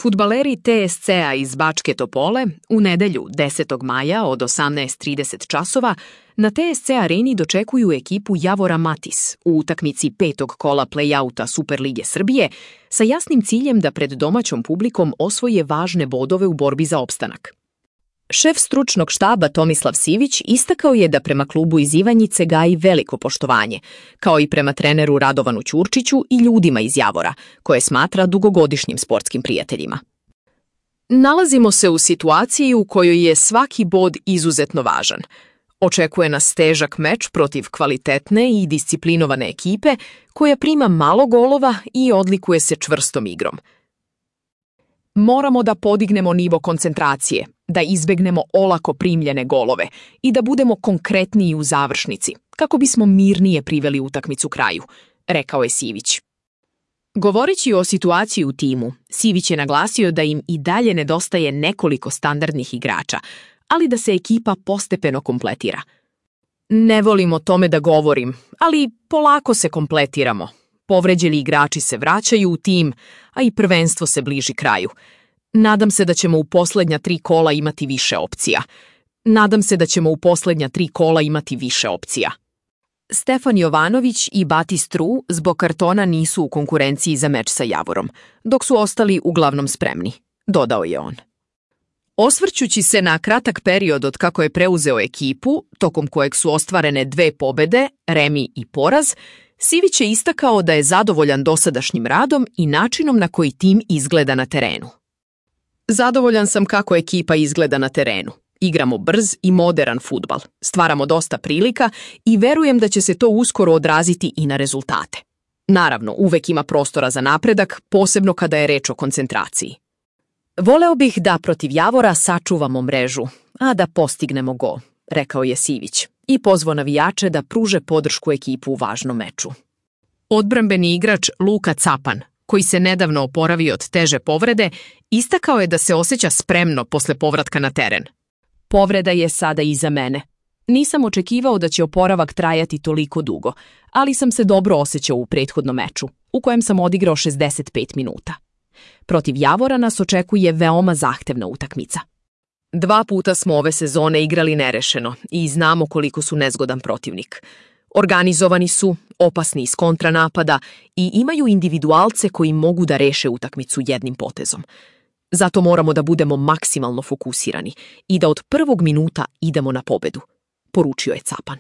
Fudbaleri TSC-a iz Bačke Topole u nedelju 10. maja od 18:30 časova na TSC areni dočekuju ekipu Javora Matis u utakmici 5. kola play-outa Superlige Srbije sa jasnim ciljem da pred domaćom publikom osvoje važne bodove u borbi za opstanak. Šef stručnog štaba Tomislav Sivić istakao je da prema klubu iz Ivanjice gaji veliko poštovanje, kao i prema treneru Radovanu Ćurčiću i ljudima iz Javora, koje smatra dugogodišnjim sportskim prijateljima. Nalazimo se u situaciji u kojoj je svaki bod izuzetno važan. Očekuje nas težak meč protiv kvalitetne i disciplinovane ekipe koja prima malo golova i odlikuje se čvrstom igrom. Moramo da podignemo nivo koncentracije, da izbegnemo olako primljene golove i da budemo konkretniji u završnici, kako bismo mirnije priveli utakmicu kraju, rekao je Sivić. Govoreći o situaciji u timu, Sivić je naglasio da im i dalje nedostaje nekoliko standardnih igrača, ali da se ekipa postepeno kompletira. Ne volim o tome da govorim, ali polako se kompletiramo. Povređeni igrači se vraćaju u tim, a i prvenstvo se bliži kraju. Nadam se da ćemo u poslednja 3 kola imati više opcija. Stefan Jovanović i Batis Tru zbog kartona nisu u konkurenciji za meč sa Javorom, dok su ostali uglavnom spremni, dodao je on. Osvrćući se na kratak period od kako je preuzeo ekipu, tokom kojeg su ostvarene 2 pobede, remi i poraz, Sivić je istakao da je zadovoljan dosadašnjim radom i načinom na koji tim izgleda na terenu. Zadovoljan sam kako ekipa izgleda na terenu. Igramo brz i moderan fudbal, stvaramo dosta prilika i verujem da će se to uskoro odraziti i na rezultate. Naravno, uvek ima prostora za napredak, posebno kada je reč o koncentraciji. Voleo bih da protiv Javora sačuvamo mrežu, a da postignemo gol, rekao je Sivić i pozvao navijače da pruže podršku ekipu u važnom meču. Odbrambeni igrač Luka Capan, koji se nedavno oporavio od teže povrede, istakao je da se osjeća spremno posle povratka na teren. Povreda je sada iza mene. Nisam očekivao da će oporavak trajati toliko dugo, ali sam se dobro osjećao u prethodnom meču, u kojem sam odigrao 65 minuta. Protiv Javora nas očekuje veoma zahtevna utakmica. 2 puta smo ove sezone igrali nerešeno i znamo koliko su nezgodan protivnik. Organizovani su, opasni iz kontranapada i imaju individualce koji mogu da reše utakmicu jednim potezom. Zato moramo da budemo maksimalno fokusirani i da od prvog minuta idemo na pobedu, poručio je Capan.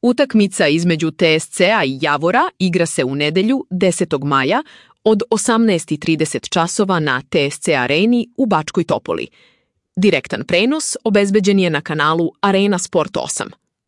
Utakmica između TSC-a i Javora igra se u nedelju 10. maja od 18:30 časova na TSC areni u Bačkoj Topoli. Direktan prenos obezbeđen je na kanalu Arena Sport 8.